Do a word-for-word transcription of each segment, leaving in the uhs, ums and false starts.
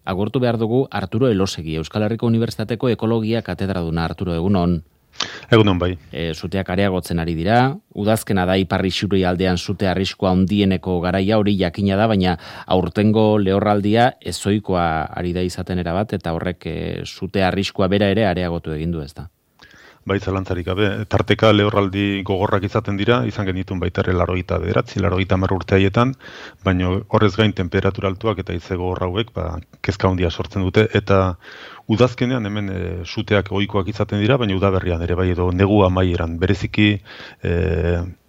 agurtu behar dugu Arturo Elosegi, Euskal Herriko Unibertsitateko Ekologia katedraduna. Arturo, egunon. Egunon bai. E, zuteak areagotzen ari dira, udazkena da ipar isuri aldean zute arriskua handieneko garaia, hori jakina da, baina aurtengo lehorraldia ezoikoa ari da izaten erabat, eta horrek e, zute arriskua bera ere areagotu egin du, ez da? Bai, zalantzarik gabe. Tarteka lehorraldi gogorrak izaten dira, izan genitun baita ere laurogeita bederatzi, laurogeita hamar urte haietan, baina horrez gain temperatura altuak eta haize gogor hauek, ba, kezka handia sortzen dute, eta udazkenean hemen e, suteak ohikoak izaten dira, baina udaberrian ere bai, edo negu amaieran, bereziki e,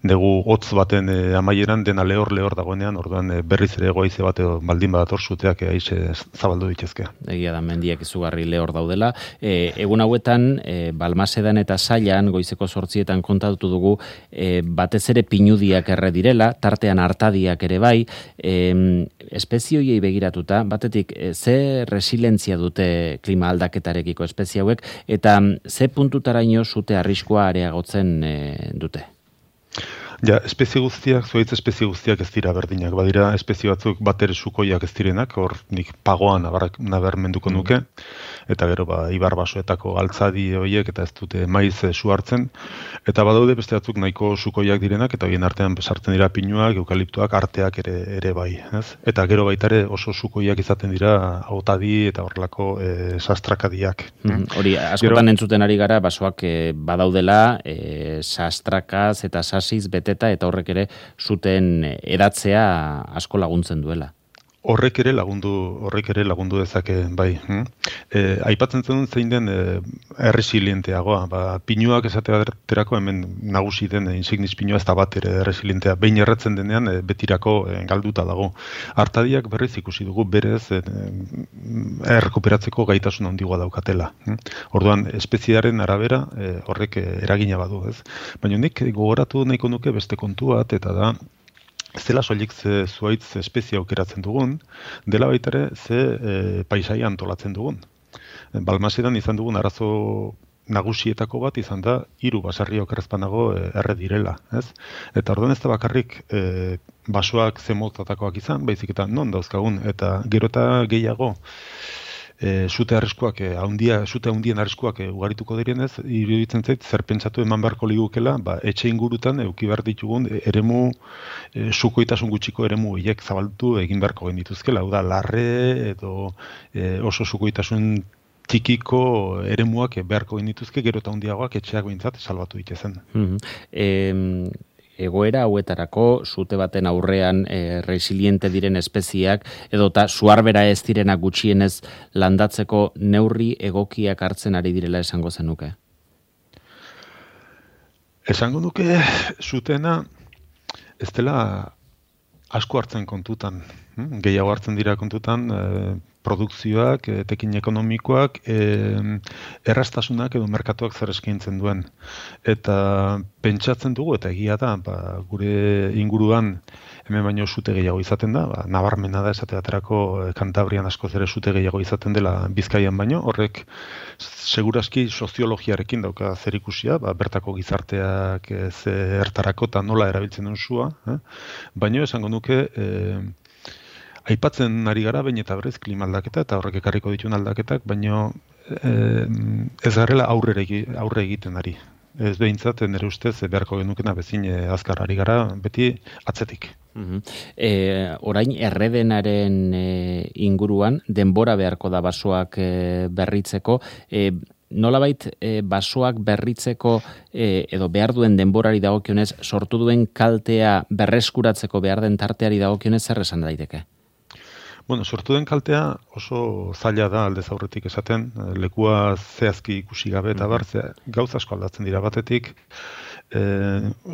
negu hotz baten e, amaieran dena lehor lehor dagoenean, orduan e, berriz ere goaize bat edo baldin badator suteak e, aize zabaldu ditezke. Egia da, mendiak izugarri lehor daudela. E, egun hauetan, e, Balmasedan eta Sailan, goizeko zortzietan kontatu dugu, e, batez ere pinudiak erre direla, tartean hartadiak ere bai, e, espezioiei begiratuta, batetik, e, ze resilientzia dute klima aldaketarekiko espezie hauek, eta ze puntutaraino zute arriskua areagotzen e, dute? Ja, espezie guztiak, zuaitz espezie guztiak ez dira berdinak. Badira espezie batzuk batere sukoiak ez direnak, hor nik pagoan nabarmenduko nuke, eta gero ba, ibar basoetako altzadi horiek eta ez dute maiz e, su hartzen, eta badaude beste batzuk nahiko sukoiak direnak, eta horien artean sartzen dira pinuak, eukaliptoak, arteak ere, ere bai. Ez? Eta gero baita ere oso sukoiak izaten dira hautadi eta horrelako e, sastrakadiak. Mm, hori, askotan gero, entzuten ari gara, basoak e, badaudela, e, sastrakaz eta sasiz beteta, eta horrek ere zuten edatzea asko laguntzen duela. Horrek ere lagundu, horrek ere lagundu dezake, bai. E, aipatzen zen zein den e, erresilienteagoa. Ba, pinuak esaterako hemen nagusi den insignis pinua ez da bat ere erresilientea. Behin erretzen denean e, betirako e, galduta dago. Artadiak berriz ikusi dugu berez e, errekuperatzeko gaitasun handigoa daukatela. Orduan, espeziaren arabera e, horrek eragina badu, ez? Baina nik gogoratu nahiko nuke beste kontu bat, eta da, ez dela soilik ze zuaitz espezie aukeratzen dugun, dela baita ere ze e, paisaia antolatzen dugun. Balmasedan izan dugun arazo nagusietako bat izan da hiru basarri okerrezpanago e, erre direla, ez? Eta orduan ez da bakarrik e, basoak ze motatakoak izan, baizik eta non dauzkagun, eta gero eta gehiago E, zute arriskuak, e, haundia, zute haundien arriskuak e, ugarituko direnez, iruditzen zait, zer pentsatu eman beharko ligukela, ba, etxe ingurutan euki behar ditugun e, eremu, e, sukoitasun gutxiko eremu hiek zabaldu egin beharko genituzkela. Hau da, larre edo e, oso sukoitasun txikiko eremuak beharko genituzke, gero eta haundiagoak etxeak behintzat salbatu ditezen. Mm-hmm. e... Egoera hauetarako, zute baten aurrean e, resiliente diren espeziak, edota suarbera ez direnak gutxienez landatzeko neurri egokiak hartzen ari direla esango zenuke? Esango nuke zutena ez dela asko hartzen kontutan. Hmm? Gehiago hartzen dira kontutan e, produkzioak, e, tekin ekonomikoak, e, errastasunak edo merkatuak zer eskaintzen duen. Eta pentsatzen dugu, eta egia da, ba, gure inguruan hemen baino zute gehiago izaten da, ba, nabarmena da esate baterako Kantabrian askoz ere zute gehiago izaten dela Bizkaian baino, horrek seguraski soziologiarekin dauka zerikusia, ba, bertako gizarteak zertarako eta nola erabiltzen duen sua, eh? Baino esango nuke, eh, aipatzen ari gara baina eta berriz klima aldaketa eta horrek ekarriko dituen aldaketak, baino eh, ez garela aurre egiten ari. Ez behintzat, nire ustez, beharko genukena bezin azkar ari gara, beti atzetik. Uh-huh. E, orain erredenaren e, inguruan, denbora beharko da basoak e, berritzeko, e, nolabait e, basoak berritzeko e, edo behar duen denborari dagokionez, sortu duen kaltea berreskuratzeko behar den tarteari dagokionez zer esan daiteke? Bueno, sortu den kaltea oso zaila da aldez aurretik esaten, lekua zehazki ikusi gabe eta bar, gauza asko aldatzen dira batetik, e,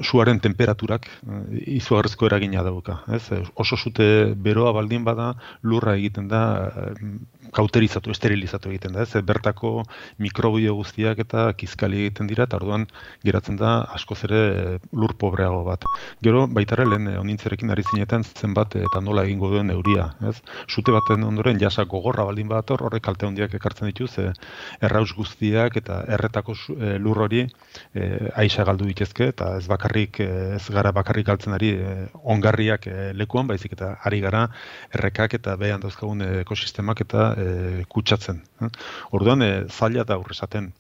suaren temperaturak e, izugarrizko eragina dauka. Ez? Oso zute beroa baldin bada lurra egiten da, e, kauterizatu, esterilizatu egiten da. Ez? Bertako mikrobio guztiak eta kizkali egiten dira, eta orduan geratzen da askoz ere lur pobreago bat. Gero, baitare lehen onintzerekin ari zinetan zenbat eta nola egingo duen euria. Ez? Zute baten ondoren jasa gogorra baldin badator, horrek kalte handiak ekartzen dituz, e, erraus guztiak eta erretako e, lur hori e, aixa galdu ditezke, eta ez bakarrik, e, ez gara bakarrik galtzen ari e, ongarriak e, lekuan, baizik eta ari gara errekak eta behan dauzkagun ekosistemak eta e, kutsatzen. Orduan, e, zaila da aurrezaten.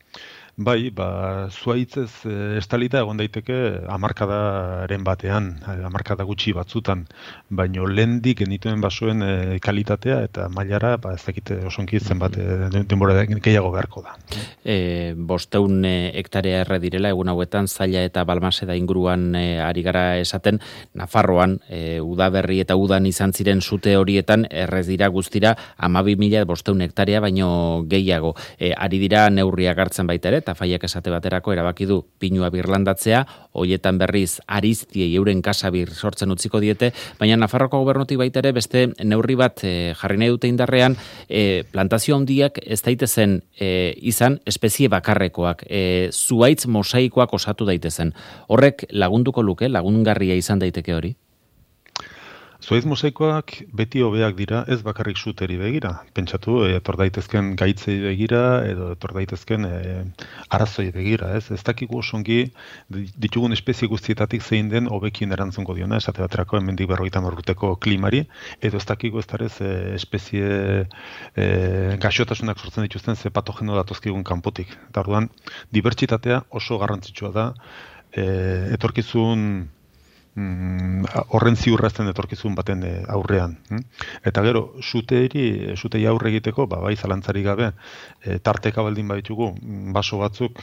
Bai, ba, zuaitzez e, estalita egon daiteke hamarkadaren batean, hamarkada gutxi batzutan, baino lehendik genituen basoen e, kalitatea eta mailara, ba, ez dakite osonki zenbat e, denbora gehiago beharko da. E, bosteun e, hektarea erre direla, egun hauetan Zaila eta Balmaseda inguruan e, ari gara esaten, Nafarroan, e, udaberri eta udan izan ziren sute horietan, errez dira guztira hamabi mila bosteun hektarea baino gehiago. E, ari dira neurriak hartzen baita ere, eta Faiak esate baterako erabaki du pinua birlandatzea, hoietan berriz ariztiei euren kasabir sortzen utziko diete, baina Nafarroko gobernutik baita ere beste neurri bat e, jarri nahi dute indarrean, e, plantazio handiak ez daitezen e, izan espezie bakarrekoak, e, zuaitz mosaikoak osatu daitezen. Horrek lagunduko luke, lagungarria izan daiteke hori? Zuaitz mosaikoak beti hobeak dira, ez bakarrik suteri begira. Pentsatu, etor daitezken gaitzei begira, edo etor daitezken e, arazoi begira, ez? Ez dakigu osongi ditugun espezie guztietatik zein den hobekien erantzungo diona, esate baterako hemendik berrogeita hamar urteko klimari, edo ez dakigu ez darez e, espezie e, gaixotasunak sortzen dituzten ze patogeno datozkigun kanpotik. Eta orduan, dibertsitatea oso garrantzitsua da, e, etorkizun horren ziurrazten etorkizun baten aurrean. Eta gero, suteiri, sutei aurre egiteko, ba, bai zalantzari gabe, e, tarteka baldin baditugu, baso batzuk,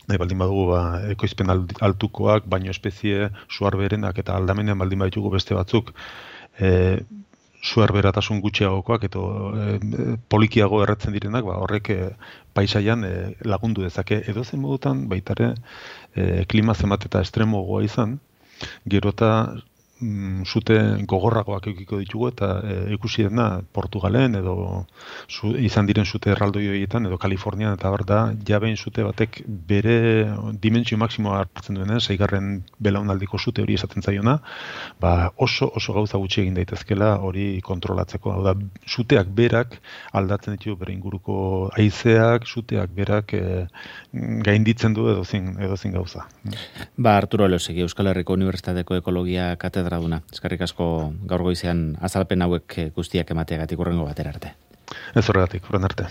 nahi baldin badugu ba, ekoizpen altukoak, baino espezie suarberenak eta aldamenean baldin baditugu beste batzuk, e, suerberatasun gutxiagokoak eta e, polikiago erretzen direnak, ba, horrek e, paisaian e, lagundu dezake. Edo zen modutan, baitare, e, klima zenbat eta estremogoa izan, gero eta mm, zute gogorragoak eukiko ditugu eta e, ikusi dena Portugalen edo zu, izan diren zute erraldoi horietan edo Kalifornian eta bar da jabein zute batek bere dimentsio maksimoa hartzen duenean, seigarren belaunaldiko zute hori esaten zaiona, ba oso oso gauza gutxi egin daitezkela hori kontrolatzeko. Hau da, zuteak berak aldatzen ditu bere inguruko haizeak, zuteak berak e, gainditzen du edozin, edozin gauza. Ba, Arturo Elosegui, Euskal Herriko Unibertsitateko Ekologia katedraduna. Eskerrik asko gaur goizean azalpen hauek guztiak emateagatik hurrengo batera arte. Ez horregatik, horren arte.